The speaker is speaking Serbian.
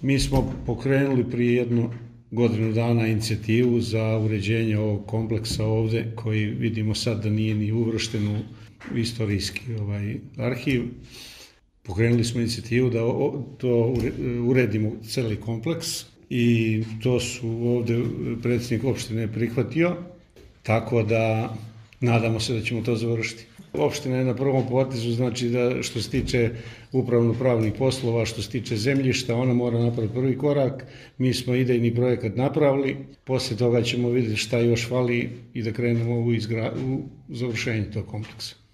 Mi smo pokrenuli prije jednu godinu dana inicijativu za uređenje ovog kompleksa ovde, koji vidimo sad da nije ni uvršten u istorijski arhiv. Pokrenuli smo inicijativu da to uredimo celi kompleks i to su ovde predsjednik opštine prihvatio, tako da nadamo se da ćemo to završiti. Opština je na prvom potezu, znači da što se tiče upravno-pravnih poslova, što se tiče zemljišta, ona mora napraviti prvi korak. Mi smo idejni projekat napravili, posle toga ćemo vidjeti šta još fali i da krenemo u završenje tog kompleksa.